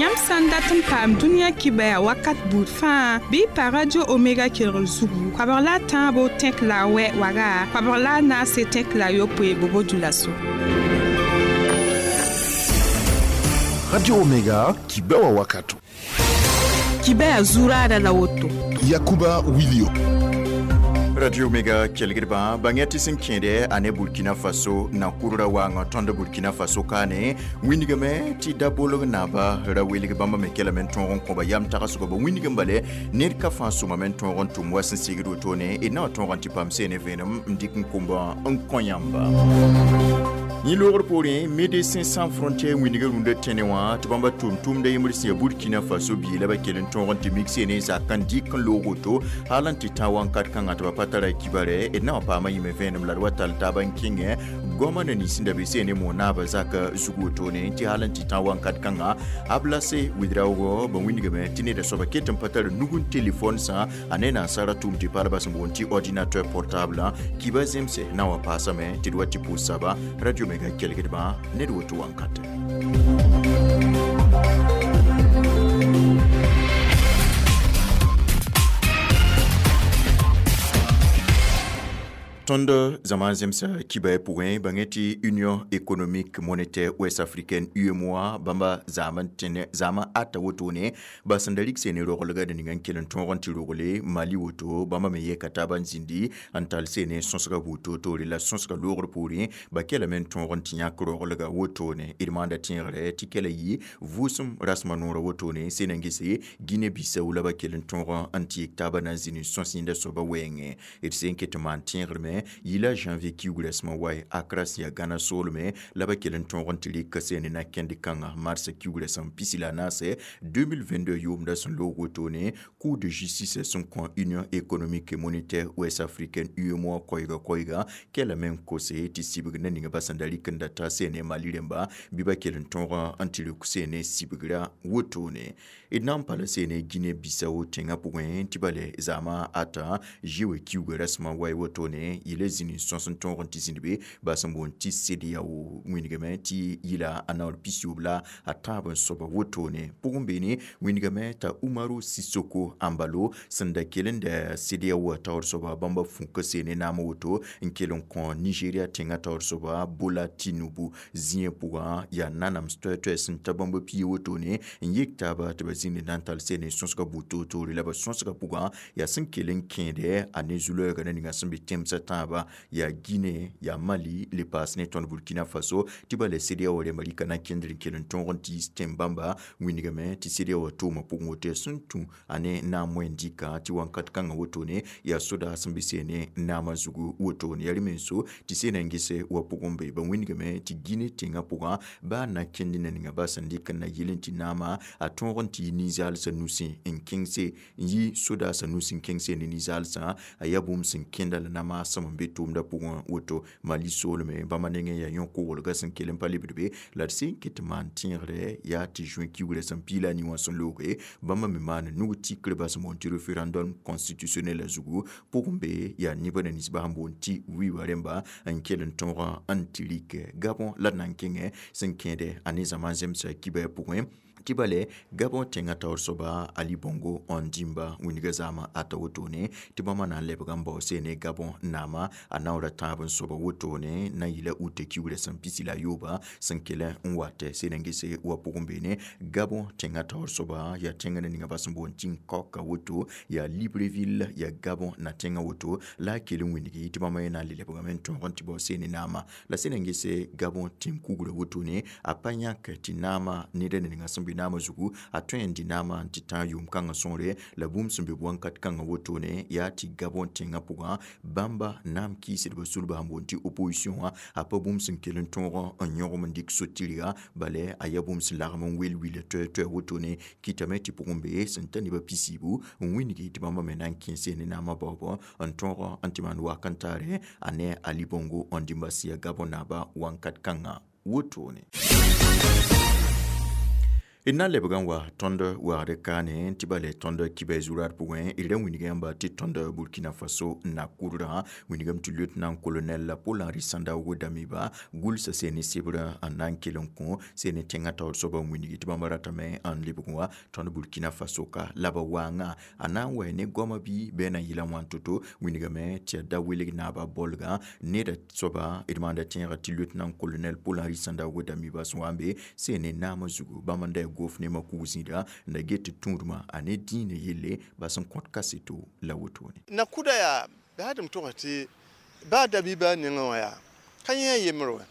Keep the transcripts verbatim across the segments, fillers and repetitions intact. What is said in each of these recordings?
Yãmb sã n dat n paam dũniyã kibaya wakat buud fãa bɩ y pa Radio Omega kelgr zugu koabg la a tãabo tẽk la a wɛ waga koabg la a naase tẽk la a yopoe bobo dulaso. Radio Omega kibawa wakato. Kibaya zurada la woto. Yakuba Wilio. Radio Omega kelgdbã bãng tɩ sẽn kẽede a ne Burkina Faso na kurra waangã tõnd Burkina Faso kaane wĩndgame tɩ da bolg naaba ra welg bãmba me kelame n tõog n kõba yam tagsgɔ ba wĩndg n bale ned ka fãa sõmame n tõog n tʋm wa sẽn segd wotone d na wa tõog n tɩ paam seene vẽenem n dɩk n komba n kõ yãmba. Yẽ loogr poorẽ Médecins Sans Frontières wĩndga rũndã tẽne wã tɩ bãmba tʋm-tʋmda yembr sẽn ya Burkina Faso biig la ba kell n tõog n tɩ mik seene zak n dɩk n loog woto hal n tɩ tã wãnkat kãngã tɩ ba pa tara kibare d na wa paama yĩme vẽenem la d wa tall taab n kẽngẽ goamã na nins sẽn da be seene moon naabã zaka zug wotone tɩ hal n tɩ tã wãnkat kãngã Ablase Ouedraogo ba wĩndgame tɩ neda soaba ket n pa tar nug n telefon sã a ne nansara tʋʋm tɩ palba sẽn boond tɩ ordinateur portable kiba zemse na wa paasame tɩ d wa tɩ pʋʋs saba Radio Mega kelgdbã ned woto wãnkate. Tõnd zãma zemsa kibã pʋgẽ bãngẽ tɩ Union économique monétaire ouest africaine U E M O A bãmba zaam n tẽne zaamã ata wotone ba sẽn da rig seene roglga d ning n kell n tõog n tɩ rogle Mali woto bãmba me yɛka taab n zĩndi n tall seene sõsga buud toor-toore la sõsga loogr poorẽ ba kelame n tõog n tɩ yãk roglga wotone d maanda tẽegre tɩ kɛla yɩ vʋʋsem rasmã noorã wotone sẽn n gese Guinée-Bissau la ba kell n tõog n tɩ yik taabã na n zĩnd n sõs yẽnda soaba wɛɛngẽ d sẽn ket n maan tẽegrme yila janvier kiuug rasmã wae Accra sẽn yaa Gana soolme la ba kell n tõog n tɩ rɩk seene na kẽnd kãngã mars kiuug rasem pisi la naase deux mille vingt-deux yʋʋmda sẽn loog wotone Cour de justice sẽn kõ Union économique et monétaire ouest africaine U E M O A koɛɛga koɛɛga kelame n kose tɩ sibg na ninga ba sẽn da rɩk n da ta seene Mali rẽmba bɩ ba kell n tõog n tɩ rɩk seene sibgra wotone d na n pa la seene Guinée-Bissau tẽngã pʋgẽ tɩ bale zaamã ata zoe kiuugã rasmã wae wotone yɩla zĩni sõs n tõog n tɩ zĩnd be ba sẽn boond tɩ CEDEAO wĩndgame tɩ yɩla a naoor pisiyoob la a tãab n soaba wotone pʋgẽ beene wĩndgame t'a Umaru Sissoco Embalo sẽn da kell n da CEDEAO taoor soaba bãmba fũka seene naam woto n kell n kõ Nigeria tẽngã taoor soaba Bola Tinubu zĩyã pʋgã yaa nanams toɛ-toɛ sẽn ta bãmba pia wotone n yek taaba tɩ ba zĩnd na n tall seene sõsga buud toor-toore la ba sõsga pʋgã yaa sẽn kell n kẽede a ne zu-loɛɛgã na ninga sẽn be tẽmsã tãabã yaa Guinée yaa Mali le paas ne tõnd Burkina Faso tɩ ba le CEDEAO rẽmba rɩka na kẽndr n kell n tõog n tɩ tẽn-bãmba wĩndgame tɩ CEDEAO tʋʋmã pʋgẽ woto yaa sẽn tũ a ne naam wẽnd-dɩka tɩ wãnkat kãngã wotone yaa sodaas sẽn be seene naamã zugu wotone yaa rẽ menso tɩ seena n gese wa pʋgẽ be ba wĩndgame tɩ Guinée tẽngã pʋgã baa na kẽnd na ninga ba sẽn dɩk n na yɩl n tɩ naamã a tõog n tɩ yɩ ninzaalsã nusẽ n kẽngse n yɩ sodaasã nusẽ n kẽngse ne ninzaalsã a yaa bũmb sẽn kẽnda la namaasem n be tʋʋmdã pʋgẽ woto Mali soolme bãmba nengẽ yaa yõ-koglgã sẽn kell n pa lebd be la d sẽn ket n maan tẽegre yaa tɩ juin kiugrã sẽn piila a ni wã sẽn looge bãmba me maan nug tikr ba sẽn boond tɩ référendum constitutionnel la zugu pʋgẽ be yaa nebã na ninsbã sẽn boond tɩ wiiba rẽmba n kell n tõog n tɩ rɩk Gabon la d na n kẽngẽ sẽn kẽede a ne zãma zemsa kibã pʋgẽ tɩ bale Gabon tẽngã taoor soaba Ali Bongo Ondimba wĩndgã zaamã ata wotone tɩ bãmba na n lebga n bao seene Gabon naamã a naoora tãab n soaba wotone na n yɩla ute kiugrã sẽn pisi la a yooba sẽn kell n watɛ seen n gese wa pʋgẽ beene Gabon tẽngã taoor soaba yaa tẽngã na ninga ba sẽn boond tɩ Nkɔka woto yaa Libreville yaa Gabon na tẽngã woto la a kell n wĩndgi tɩ bãmba yẽ na n le lebgame n tõog n tɩ bao seene naamã la sẽn n gese Gabon tẽn-kugrã wotone a pa yãk tɩ naamã ned na ninga sẽn be naamã zugu a tõe n dɩ naamã n tɩ tã yʋʋm kãngã sõore la bũmb sẽn be wãnkat kãngã wotone yaa tɩ Gabon tẽngã pʋgã bãmba naam kɩɩsdbã sulbã sẽn boond tɩ opposition wã a pa bũmb sẽn kell n tõog n yõgem n dɩk so-tɩrga bala a yaa bũmb sẽn lagem n wel wila toɛ-toɛ wotone kɩtame tɩ pʋgẽ be sẽn ta nebã pisiibu n wĩndgi tɩ bãmba me na n kẽ seene naamã baoobã n tõog n tɩ maan wak n taare a ne Ali Bongo Ondimba sẽn yaa Gabon naaba wãnkat kãngã wotone. D na n lebg n wa tõnd wagd kaane tɩ ba le tõnd kibɛ zurad pʋgẽ d ra wilg yãmba tɩ tõnd Burkina Faso na-kʋʋdrã wilgame tɩ lieutenant colonel Paul Henri Sandaogo Damiba gʋlsa seen sɩbrã n na n kell n kõ seen tẽngã taoor soaba n wilgi tɩ bãmb ratame n lebg wã tõnd Burkina Faso ka la ba waangã a na n wa ne goamã bɩ bɩ a na n yɩla wãn to-to wilgame tɩ yaa da welg naaba bolgã neda soaba d maanda tẽegã tɩ lieutenant colonel Paul Henri Sandaogo Damiba sẽn wa n be seen naamã zugu bãmb n da gof ne makug zĩida n da get tɩ tũudmã a ne dĩinã yelle ba sẽn kõt kaseto la wotone. Nakuda yaa bɩ tɩ m tʋgs tɩ baa Damiba nengẽ wã yaa ka yẽ a yembr wɛ.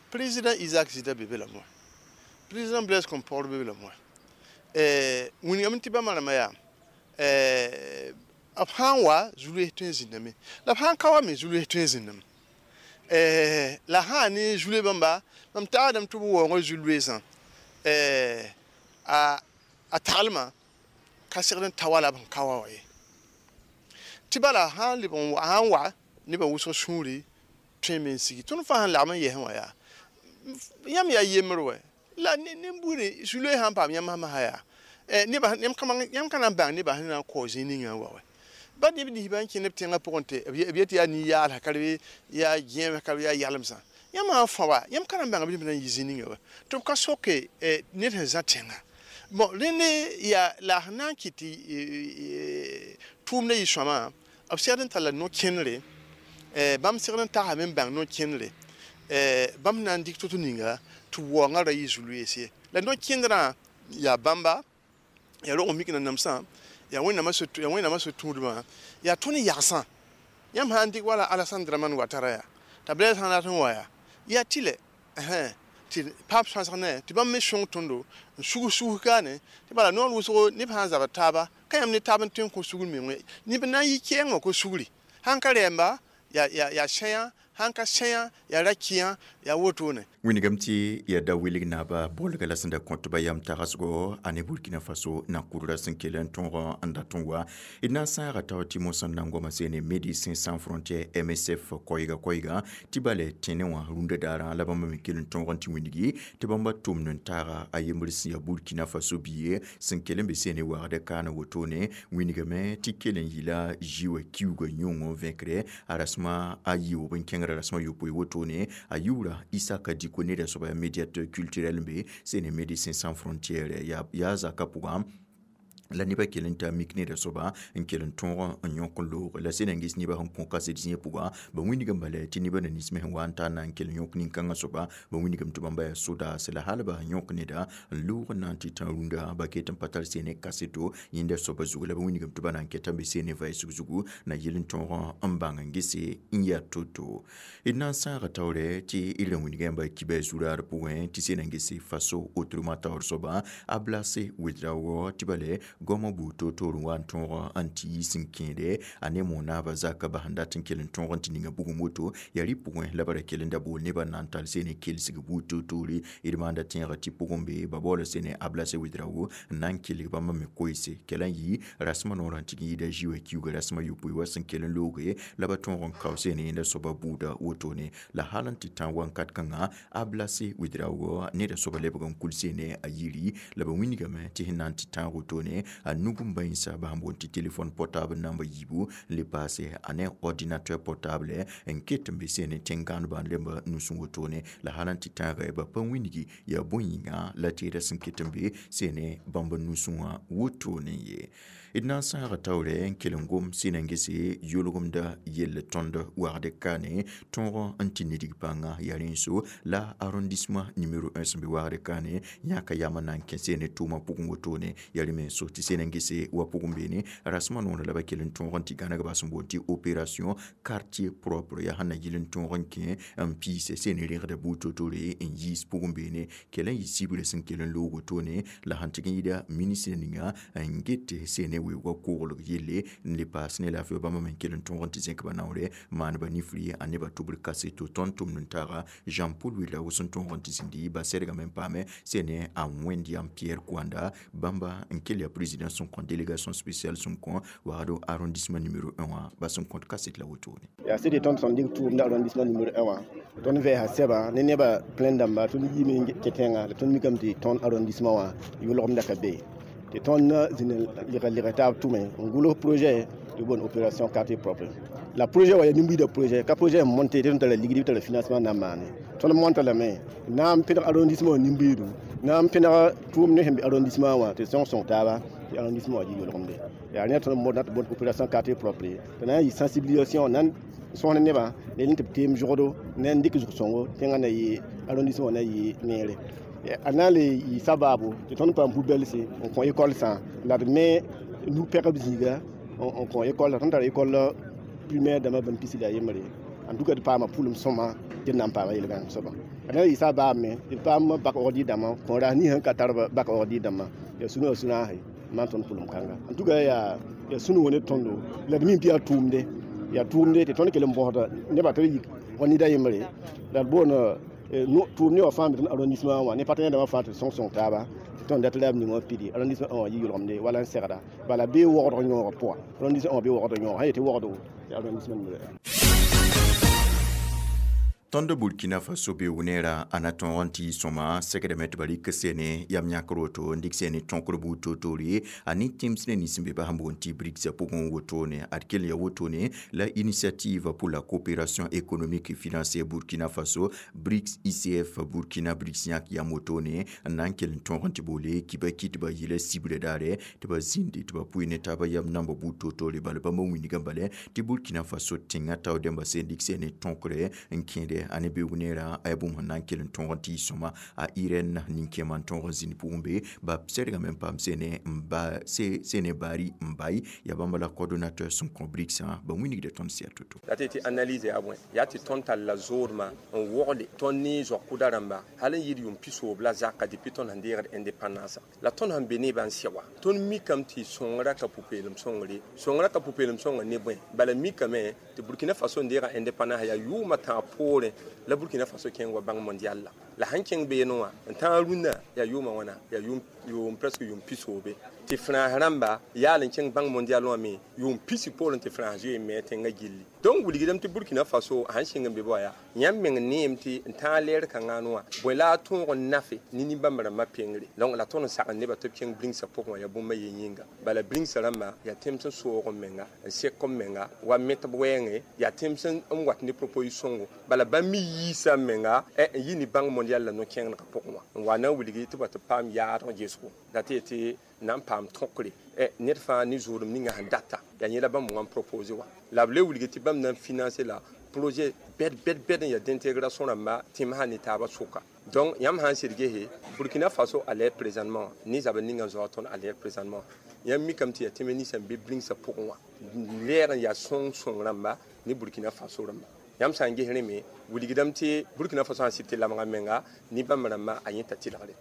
Président Isaac Zida be be la moa, président Blaise Compaoré be be la moa, wilgame tɩ bãmba rãmbã yaa b sã n wa zu-loees tõe n zĩndame, la b sã n ka wa me zu-loees tõe n zĩndame, la sã ne zu-loe bãmba mam tagsdame tɩ b waoongã zu-loeesã a a taglmã ka segd n ta wala b sẽn ka wa wã ye, tɩ bala sã n leb n sã n wa nebã wʋsg sũuri tõe me n sigi. Tõnd fãa sẽn lagm n yɛsẽ wã yaa yãmb yaa yembr wɛ la nin-buudẽ zu-loees sã n paam yãmb masã yaa nebã yãmb ka na n bãng nebã sẽn na n kao zĩig ningã n wa wɛ. Ba neb ninsbã n kẽnd b tẽngã pʋgẽ tɩ b yet yaa nin-yaalsã ka rebe yaa gẽemsã ka rebe yaa yalemsã, yãmb sã n fãba yãmb ka na n bãng b neb na n yi zĩig ninga wa tɩ b ka soke ned sẽn zã tẽnga. Bon, rẽnd yaa la sẽn na n kɩt tɩ tʋʋmdã yɩ sõama, b segd n talla no-kẽnere, bãmb segd n tagsame n bãng no-kẽnere, bãmb na n dɩk to-to ninga tɩ waoongã ra yɩ zu-loees ye. La no-kẽndrã yaa bãmba, yaa rog n mik nanamsã, yaa Wẽnnaamã so-tũudmã, yaa tõnd yagsã. Yãmb sã n dɩk wala Alassane Dramane Ouattara yaa t'a Blaise sã n rat n wa yaa yaa tɩlɛ tɩ paam sõsg ne tɩ bãmb me sõng tõndo n sugs sugs kaane tɩ bala noor wʋsgo neb sã n zabd taaba ka yãmb ne taab n tõe n kõ sugr meng neb na n yɩ kɛɛng wã ko sugri sãn ka rɛɛmba yaa sẽyã, sãn ka sẽyã yaa ra-kɩyã, yaa wotone. Wilgame tɩ yaa da wilg naaba bolga la sẽn da kõt ba yam tagsgo a ne Burkina Faso na-kʋʋdrã sẽn kell n tõog n dat n wa. D na n sãaga tao tɩ mosã n na n goama seene Médecins Sans Frontières M S F koɛɛga koɛɛga tɩ bala tẽne wã rũndã daarã la bãmb me kell n tõog n tɩ wilgi tɩ bãmba tʋmd n taaga a yembr sẽn yaa Burkina Faso biye sẽn kell n be seene wagd kaana wotone. Wilgame tɩ kell n yɩla zĩ wã kiuugã yõng n vẽkre a rasmã a yɩʋʋb n kẽngrã rasmã yopoe wotone a yʋʋra Isaka Diko neda soaba yaa médiateur culturel n be seene Médecins Sans Frontières yaa zakã pʋgã la nebã kell n taa mik neda soaba n kell n tõog n yõk n loog la sẽn na n ges nebã sẽn kõ kaset zĩig pʋga ba wilgame bala tɩ nebã na nins me sẽn wa n taa na n kell n yõk nin-kãngã soaba ba wilgame tɩ bãmba yaa sodaas la hal ba sẽn yõk neda n loog n na n tɩ tã rũndã ba ket n pa tar seene kaseto yẽnda soaba zugu la ba wilgame tɩ ba na n keta n be seene vaɩsg zugu na yɩl n tõog n bãng n gese n yaa to-to. D na n sãaga taoorɛ tɩ d ra wilg yãmba kibɛ zuraar pʋgẽ tɩ sẽn na n gese Faso autrement taoor soaba a Blase Ouedraogo tɩ bale goamã buud toor-toor n wa n tõog n tɩ yiis n kẽede a ne monaabã zakã bas n dat n kell n tõog n tɩ ninga bugum woto yaa rɩ pʋgẽ la ba ra kell n da bool nebã n na n tall seene kelsg buud toor-toore. D maanda tẽegã tɩ pʋgẽ be ba baoola seene a Blase Ouedraogo n na n kelg bãmba me koeese kɛla n yɩ rasmã noorã n tɩg n yɩɩda zĩ wã kiuugã rasmã yopoe wa sẽn kell n looge la ba tõog n kao seene yẽnda soaba buuda wotone la hal n tɩ tã wãnkat kãngã a Blase Ouedraogo neda soaba lebg n kul seene a yiri la ba wilgame tɩ sẽn na n tɩ tãag wotone a nug n bãensa ba sẽn boond tɩ téléphone portable namba yiibu n le paase a ne ordinateur portable n ket n be seene tẽn-gãanebã rẽmba nusẽ wotone la hal n tɩ tãaga ba pa wilgi yaa bõe-yĩnga la teeda sẽn ket n be seene bãmb nusẽ wã wotone ye. D na n sãaga taoorɛ n kell n gom sẽn na n gese yʋlgemda yell tõnd wagd kaane tõog n tɩ nidg pãnga yaa rẽn-so la arrondissement numéro un sẽn be wagd kaane yãka yam n na n kẽ seene tʋʋmã pʋgẽ wotone yaa rẽ menso tɩ sẽn na n gese wa pʋgẽ beene rasmã noorã la ba kell n tõog n tɩ gãneg ba sẽn boond tɩ opération quartier propre yaa sẽn na yɩl n tõog n kẽ n piise sẽn rẽgda buud to-toore n yiis pʋgẽ beene kell n yɩ sibrã sẽn kell n loog wotone la sẽn tɩg n yɩɩda ministre ninga n get seene weoogã koglg yelle n le paas ne laafɩ bãmba me n kell n tõog n tɩ zẽk ba naoorɛ maan ba nifri a nebã tʋbr kaseto. Tõnd tʋmd n taaga Jean Paul Ouedraogo sẽn tõog n tɩ zĩndi ba sɛdgame n paame seene a Wẽnd-yam Pierre Kouanda bãmba n kell yaa président sẽn kõ délégation spéciale sẽn kõ wagdo arrondissement numéro un wã ba sẽn kõt kaset la wotone. Yaa sɩd tõnd sẽn dɩk tʋʋmda arrondissement numéro un wã. Tõnd vɛɛsa sɛba ne nebã plẽn dãmba tõnd yiime kẽ tẽnga la tõnd mikame tɩ tõnd arrondissement wã yʋlgemda ka be tɩ tõnd zĩnd lɩg lɩg taab tʋme n gʋls projet tɩ boond opération quartier propre. La projet wã yaa nin-buiidã projet, ka projet n monte tɩ tõnd tara ligd bɩ tara financement na n maane. Tõnd monta lame na n pẽdg arrondissement wã nin-buiidu, na n pẽdg tʋʋm ne sẽn be arrondissement wã tɩ sõng sõng taaba tɩ arrondissement wã yɩ yʋlgemde. Yaa rẽ tõnd n na tɩ boond opération quartier propre tɩ na n yɩ sensibilisation na n sõs ne nebã ne tɩ b teem zʋgdo ne n dɩk zʋg-sõngo tẽngã na yɩ arrondissement na yɩ neere. A na n le yɩ sabaabo tɩ tõnd paam pu-bɛlse n kõ école sã la d me nu-pɛgb zĩiga n kõ école. Tõnd tara école primaire dãmbã bãmb pisi la a yembre. En tout cas d paama pʋlem sõma tɩ d na n paama yel-gãnem soaba. A na n yɩ sabaab me tɩ d paam bak ordi dãmbã kõ ras nin sẽn ka tar bak ordi dãmbã yaa sũ yaa sũ-naase maan tõnd pʋlem kãnga. En tout cas yaa yaa sũ-noog ne tõndo la d mim tɩ yaa tʋʋmde yaa tʋʋmde tɩ tõnd kell n bõsda nebã tɩ b yik wa nida yembre la d boond tʋʋm ne wã fãa me tõnd arrondissement wã ne partenaire dãmbã fãa tɩ sõng sõng taaba tɩ tõnd dat la b ning wã pidi arrondissement wã yɩ yʋlgemde wala n segda bala bee wogdg yõogã pʋga arrondissement wã bee wogdg yõoga sã yetɩ wogdo tɩ arrondissement. Tõnd Burkina Faso be wʋneera a na tõog n tɩ yɩ sõma segdame tɩ ba rɩk sene yam yãkr woto n dɩk sene tõkr buud toor-toore a ne tẽms ne nins n be bas n boond tɩ BRICS pʋgẽ wotone. Ad kell ya wotone la Initiative pour la coopération économique et financière Burkina Faso, BRICS I C F Burkina BRICS yãk yam wotone n na n kell n tõog n tɩ boole kiba kɩ tɩ ba yɩla sibrã daare tɩ ba zĩndi tɩ ba pʋɩ ne taaba yam namba buud toor-toore. Bala bãmba wĩnigã bala tɩ Burkina Faso tẽngã tao dẽmba sẽn dɩk sene tõkre n kẽede a ne beoog neerã a yaa bũmb sẽn na n kell n tõog n tɩ yɩ sõma. A Irɛn nin-kẽemã n tõog n zĩnd pʋgẽ be ba sɛdgame n paam sene n ba sene Bari n bai yaa bãmba la coordonnateur sẽn kõ BRICS ba wĩnigda tõnd sɩ to-to. La tɩ tɩ analyse yaa bõe yaa tɩ tõnd tall la zoodmã n wogde tõnd ne zoag-kʋda rãmba hal n yɩɩd yʋʋm pisoob la zaka depuis tõnd sẽn deegd indépendance la tõnd sẽn be nebã n sɛ wa. Tõnd mikame tɩ sõngrã ka pʋ-peelem sõngre, sõngrã ka pʋ-peelem sõnga ne bõe bala mikame tɩ Burkina Faso n deega indépendance yaa yʋʋmã tãag poorẽ la Burkina Faso kẽng wa Banque mondiale la la sãn kẽng beene wã n tãag rũnnã yaa yʋʋmã wãna yaa yʋʋm presque yʋʋm pisoobe tɩ frãns rãmba yaal n kẽng Banque mondiale wã me yʋʋm pisi poorẽ tɩ frãns zoe n me tẽngã gilli. Donc wilgdame tɩ Burkina Faso sãn sɩng n be bɩ yaa yãmb meng neem tɩ n tãag leer kãngã wã bõe la a tõog n nafe ne nin-bãmb rãmbã pengre. Donc la tõnd n sagn nebã tɩ b kẽng BRICSã pʋgẽ wã yaa bũmb a ye yĩnga. Bala BRICSã rãmba yaa tẽms n soog n menga n sek n menga wa metb wɛɛngẽ yaa tẽms n wat ne proposition sõngo bala bãmb me yiisa n menga n yɩ ne Banque mondiale la no-kẽnegã pʋgẽ wã n wa na n wilgi tɩ ba tɩ paam yaadg gesgo la tɩ yetɩ na n paam tõkre ned fãa ne zʋʋdem ninga sẽn data yaa yẽla bãmb wã n propose wã la b le wilgi tɩ bãmb na n financer la projet bɛd bɛd bɛd n yaa d'intégration rãmba tẽmsã ne taabã sʋka. Donc yãmb sã n sɩd gese Burkina Faso à l'air présentement ne zabr ninga n zoa tõnd à l'air présentement yãmb mikame tɩ yaa tẽm ninsã n be BRICSã pʋgẽ wã lɛɛg n yaa sõng sõng rãmba ne Burkina Faso rãmba. Yãmb sã n ges rẽ me wilgdame tɩ Burkina Faso sã n sɩd tɩ lamga menga ne bãmb rãmba a yẽta tɩlgre.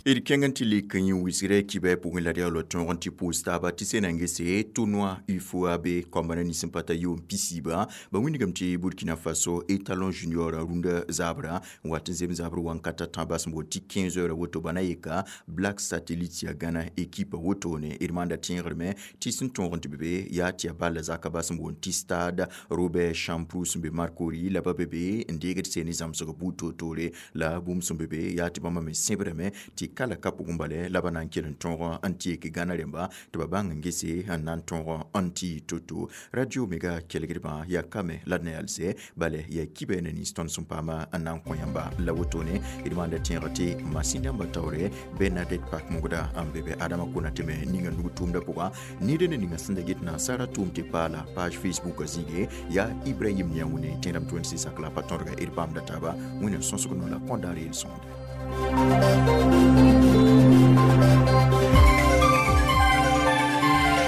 D kẽng n tɩ lik n yẽ wisgrã kibɛ pʋgẽ la d yaool tõog n tɩ pʋʋs taaba tɩ sẽn na n gese tournoi UFOA B kambã na nins n pa ta yʋʋm pisiibã ba wĩnigame tɩ Burkina Faso étalon junior rũndã zabrã n wat n zem zabr wãnkata tãabã sẽn boond tɩ quinze heures woto ba na yeka Black Satellite ya Gana équipe wotone. D maanda tẽegrame tɩ sẽn tõog n tɩ be be yaa tɩ yaa ball zaka ba sẽn boond tɩ stade Robert Champroux sẽn be Marcory la ba be be n deegd seen zãmsg buud toor-toore la bũmb sẽn be be yaa tɩ bãmba me sẽbrame tɩ kala ka pʋgẽ bala la ba na n kell n tõog n tɩ yek Gana rẽmba tɩ ba bãng n gese n na n tõog n tɩ to-to. Radio Omega kelgdbã yaa kame la d na yalsɛ bala yaa kibɛ ne nins tõnd sẽn paama n na n kõ yãmba la wotone. D maanda tẽeg tɩ masin dãmbã taoore Bernadette Pak mogda n be be Adama Konate me ninga nug tʋʋmdã pʋga ned ne ninga sẽn da get nansara tʋʋm tɩ paala page Facebook zĩige yaa Ibrahim Niaoune tẽedame tɩ wẽnd sɩ sak la pa tõdga d paamda taaba wẽnnaam sõsg no la kõndaar yel sõmde.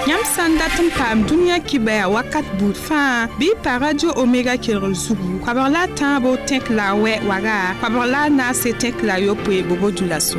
Yãmb sã n dat n paam dũniyã kibɛa wakat buud fãa bɩ y pa Radio Omega kelgr zugu koabg la a tãabo tẽk la a wɛ waga koabg la a naase tẽk la a yopoe bobo dũlaso.